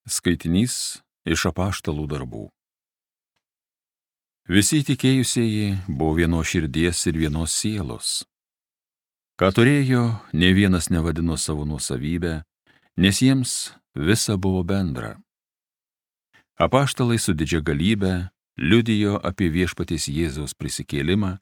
Skaitinys iš apaštalų darbų. Visi tikėjusieji buvo vienos širdies ir vienos sielos. Ką turėjo, nė vienas nevadino savo nuosavybę, nes jiems visa buvo bendra. Apaštalai su didžia galybe liudijo apie viešpaties Jėzaus prisikėlimą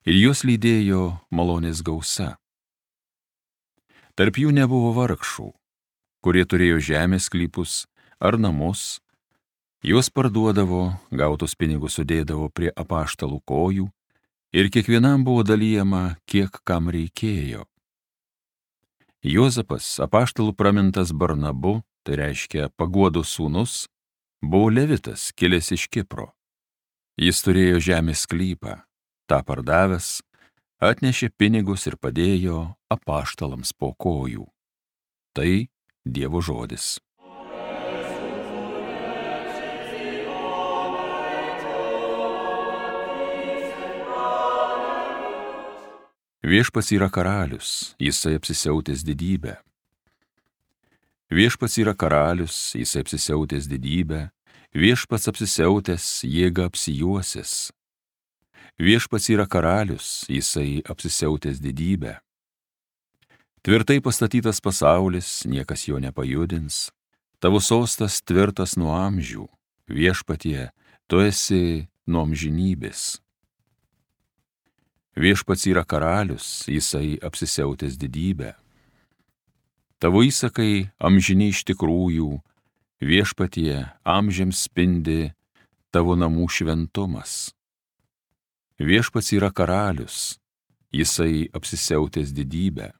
ir juos lydėjo malonės gausa. Tarp jų nebuvo vargšų, kurie turėjo žemės sklypus ar namus, juos parduodavo, gautus pinigus sudėdavo prie apaštalų kojų ir kiekvienam buvo dalijama, kiek kam reikėjo. Juozapas, apaštalų pramintas Barnabu, tai reiškia Paguodos sūnus, buvo levitas, kilęs iš Kipro. Jis turėjo žemės sklypą, tą pardavęs, atnešė pinigus ir padėjo apaštalams po kojų. Tai Dievo žodis. Viešpats yra karalius, jisai apsisiautęs didybę. Viešpats yra karalius, jisai apsisiautęs didybę, viešpats apsisiautęs jėga apsijuosęs. Viešpats yra karalius, jisai apsisiautęs didybę. Tvirtai pastatytas pasaulis, niekas jo nepajudins, tavo sostas tvirtas nuo amžių, viešpatie, tu esi nuo amžinybės. Viešpats yra karalius, jisai apsisiautęs didybę. Tavo įsakai amžini iš tikrųjų, viešpatie, amžiams spindi tavo namų šventumas. Viešpats yra karalius, jisai apsisiautęs didybę.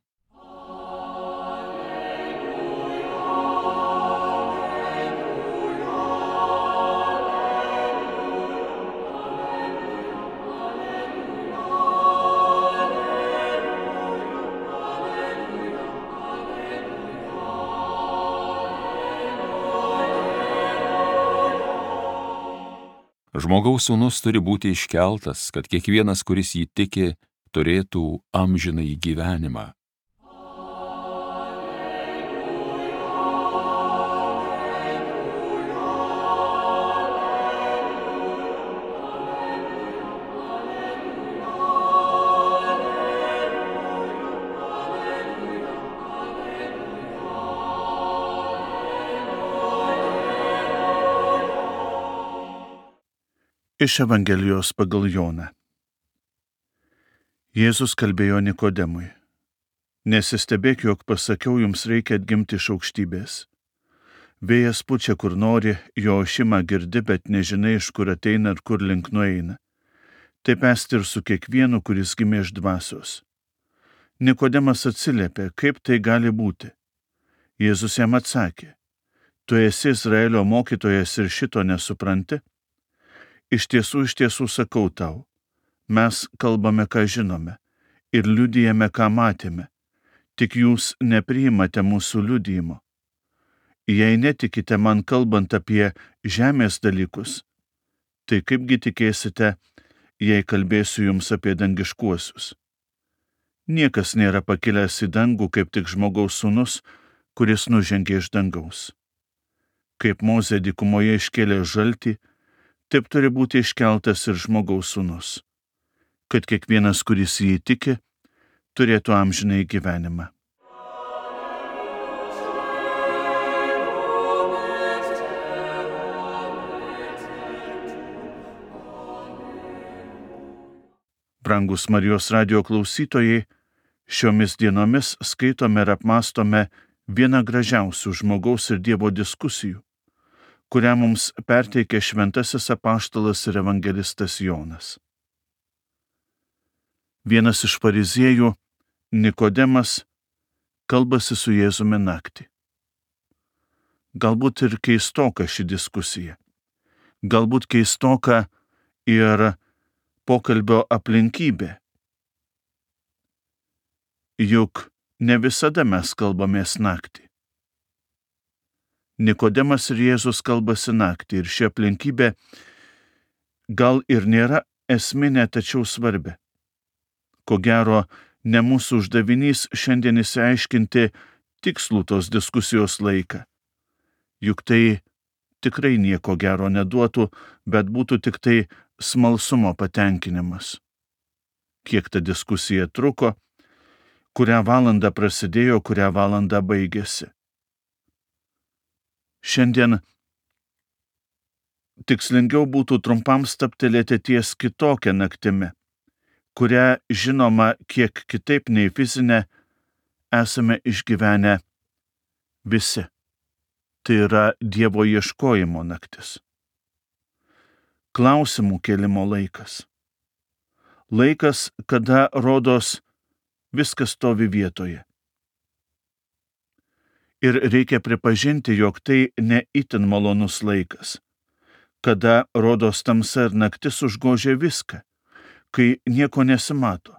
Žmogaus sūnus turi būti iškeltas, kad kiekvienas, kuris jį tiki, turėtų amžinąjį gyvenimą. Iš Evangelijos pagal Joną. Jėzus kalbėjo Nikodemui: Nesistebėk, jog pasakiau, jums reikia atgimti iš aukštybės. Vėjas pučia kur nori, jo ošimą girdi, bet nežinai, iš kur ateina ir kur link nueina. Taip esti ir su kiekvienu, kuris gimė iš dvasios. Nikodemas atsiliepė: kaip tai gali būti? Jėzus jam atsakė: tu esi Izraelio mokytojas ir šito nesupranti? Iš tiesų sakau tau, mes kalbame, ką žinome, ir liudijame, ką matėme, tik jūs nepriimate mūsų liudijimo. Jei netikite man kalbant apie žemės dalykus, tai kaipgi tikėsite, jei kalbėsiu jums apie dangiškuosius? Niekas nėra pakilęs į dangų, kaip tik žmogaus sūnus, kuris nužengė iš dangaus. Kaip Mozė dykumoje iškėlė žaltį, taip turi būti iškeltas ir žmogaus sūnus, kad kiekvienas, kuris jį tiki, turėtų amžinąjį gyvenimą. Brangus Marijos radijo klausytojai, šiomis dienomis skaitome ir apmąstome vieną gražiausių žmogaus ir Dievo diskusijų, kurią mums perteikė šventasis apaštalas ir evangelistas Jonas. Vienas iš fariziejų, Nikodemas, kalbasi su Jėzumi naktį. Galbūt ir keistoka ši diskusija. Galbūt keistoka ir pokalbio aplinkybė. Juk ne visada mes kalbamės naktį. Nikodemas ir Jėzus kalbasi naktį ir ši aplinkybė gal ir nėra esminė, tačiau svarbi. Ko gero, ne mūsų uždavinys šiandien išsiaiškinti tikslų tos diskusijos laiką. Juk tai tikrai nieko gero neduotų, bet būtų tik tai smalsumo patenkinimas. Kiek ta diskusija truko, kurią valandą prasidėjo, kurią valandą baigėsi. Šiandien tikslingiau būtų trumpam stabtelėti ties kitokią naktimi, kurią, žinoma, kiek kitaip nei fizinę, esame išgyvenę visi. Tai yra Dievo ieškojimo naktis. Klausimų kėlimo laikas. Laikas, kada rodos viskas stovi vietoje. Ir reikia pripažinti, jog tai ne itin malonus laikas, kada rodos tamsa ir naktis užgožia viską, kai nieko nesimato.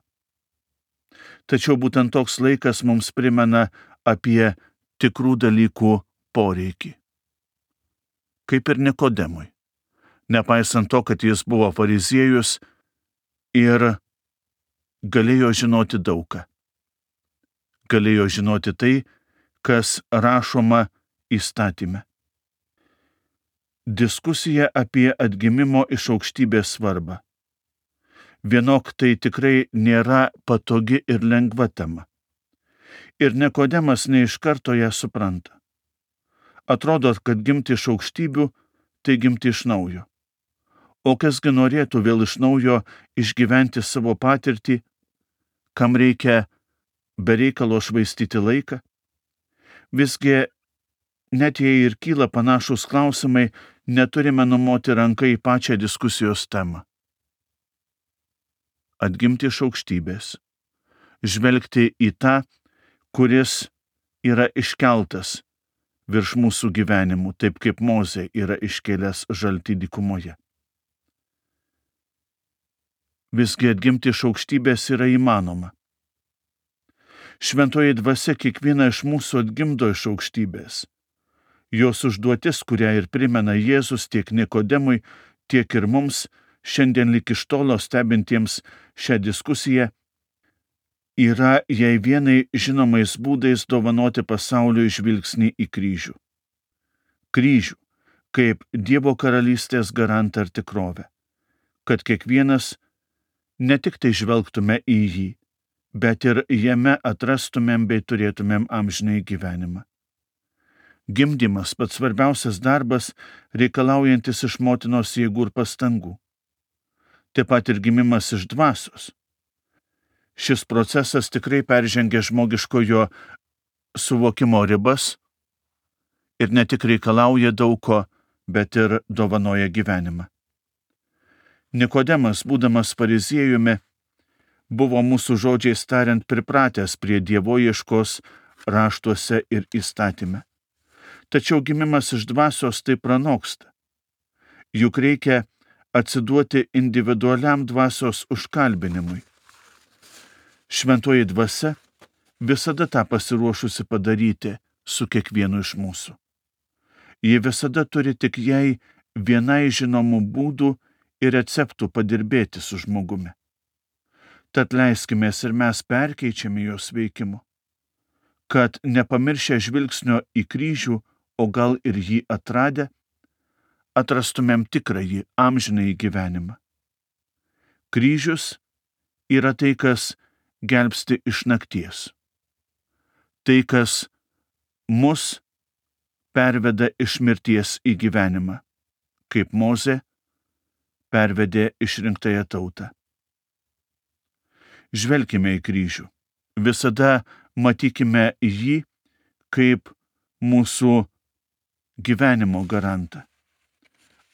Tačiau būtent toks laikas mums primena apie tikrų dalykų poreikį. Kaip ir Nikodemui, nepaisant to, kad jis buvo fariziejus ir galėjo žinoti daugą. Galėjo žinoti tai, kas rašoma įstatyme. Diskusija apie atgimimo iš aukštybės svarbą. Vienok tai tikrai nėra patogi ir lengva tema. Ir Nikodemas ne iš karto ją supranta. Atrodo, kad gimti iš aukštybių, tai gimti iš naujo. O kasgi norėtų vėl iš naujo išgyventi savo patirtį, kam reikia be reikalo švaistyti laiką? Visgi, net jei ir kyla panašus klausimai, neturime numoti ranką į pačią diskusijos temą. Atgimti iš aukštybės, žvelgti į tą, kuris yra iškeltas virš mūsų gyvenimų, taip kaip Mozė yra iškėlęs žaltį dykumoje. Visgi atgimti iš aukštybės yra įmanoma. Šventoji dvasia kiekvieną iš mūsų atgimdo iš aukštybės. Jos užduotis, kurią ir primena Jėzus tiek Nikodemui, tiek ir mums, šiandien lyg iš tolo stebintiems šią diskusiją, yra jai vienai žinomais būdais dovanoti pasauliui žvilgsnį į kryžių. Kryžių, kaip Dievo karalystės garantą ir tikrovę, kad kiekvienas ne tik tai žvelgtume į jį, bet ir jame atrastumėm bei turėtumėm amžinai gyvenimą. Gimdymas, pats svarbiausias darbas, reikalaujantis iš motinos jėgų ir pastangų. Taip pat ir gimimas iš dvasios. Šis procesas tikrai peržengia žmogiškojo suvokimo ribas ir ne tik reikalauja daug ko, bet ir dovanoja gyvenimą. Nikodemas, būdamas fariziejumi, buvo mūsų žodžiais tariant pripratęs prie dievoieškos raštuose ir įstatyme. Tačiau gimimas iš dvasios tai pranoksta. Juk reikia atsiduoti individualiam dvasios užkalbinimui. Šventoji dvasia visada tą pasiruošusi padaryti su kiekvienu iš mūsų. Ji visada turi tik jai vienai žinomų būdų ir receptų padirbėti su žmogumi. Tad leiskimės ir mes perkeičiami jos veikimu, kad nepamiršę žvilgsnio į kryžių, o gal ir jį atradę, atrastumėm tikrąjį amžinąjį gyvenimą. Kryžius yra tai, kas gelbsti iš nakties. Tai, kas mus perveda iš mirties į gyvenimą, kaip Mozė pervedė išrinktąją tautą. Žvelkime į kryžių. Visada matykime jį kaip mūsų gyvenimo garantą.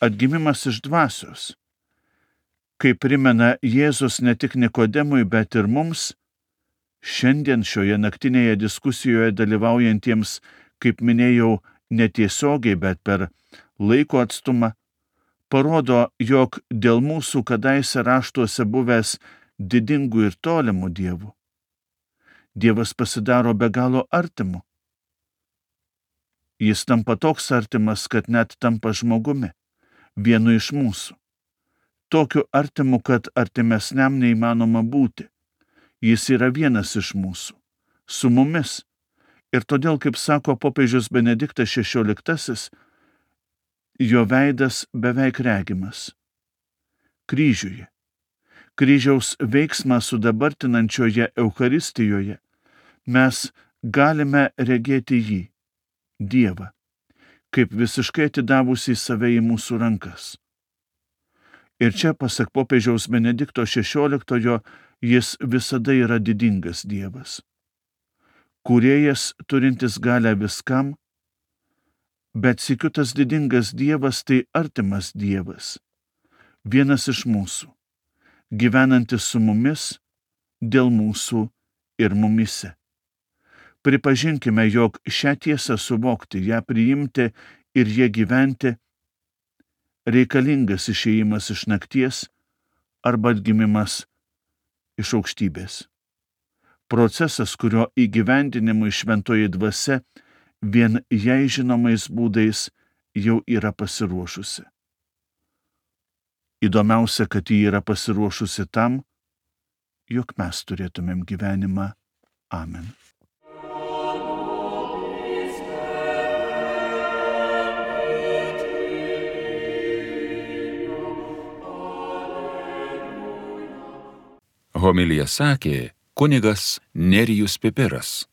Atgimimas iš dvasios, kaip primena Jėzus ne tik Nikodemui, bet ir mums, šiandien šioje naktinėje diskusijoje dalyvaujantiems, kaip minėjau, netiesiogiai, bet per laiko atstumą, parodo, jog dėl mūsų kadaise raštuose buvęs didingų ir tolimų dievų, Dievas pasidaro be galo artimu. Jis tampa toks artimas, kad net tampa žmogumi, vienu iš mūsų. Tokiu artimu, kad artimesniam neįmanoma būti. Jis yra vienas iš mūsų, su mumis. Ir todėl, kaip sako popiežius Benediktas XVI, jo veidas beveik regimas. Kryžiuje. Kryžiaus veiksmą sudabartinančioje Eucharistijoje mes galime regėti jį, Dievą, kaip visiškai atidavusį save į mūsų rankas. Ir čia, pasak popiežiaus Benedikto XVI, jis visada yra didingas Dievas. Kūrėjas turintis galę viskam, bet sykiu tas didingas Dievas tai artimas Dievas, vienas iš mūsų, gyvenantis su mumis, dėl mūsų ir mumyse. Pripažinkime, jog šią tiesą suvokti, ją priimti ir ją gyventi reikalingas išėjimas iš nakties arba atgimimas iš aukštybės. Procesas, kurio įgyvendinimui šventoji dvasia vien jai žinomais būdais jau yra pasiruošusi. Įdomiausia, kad ji yra pasiruošusi tam, jog mes turėtumėm gyvenimą. Amen. Homiliją sakė kunigas Nerijus Pipiras.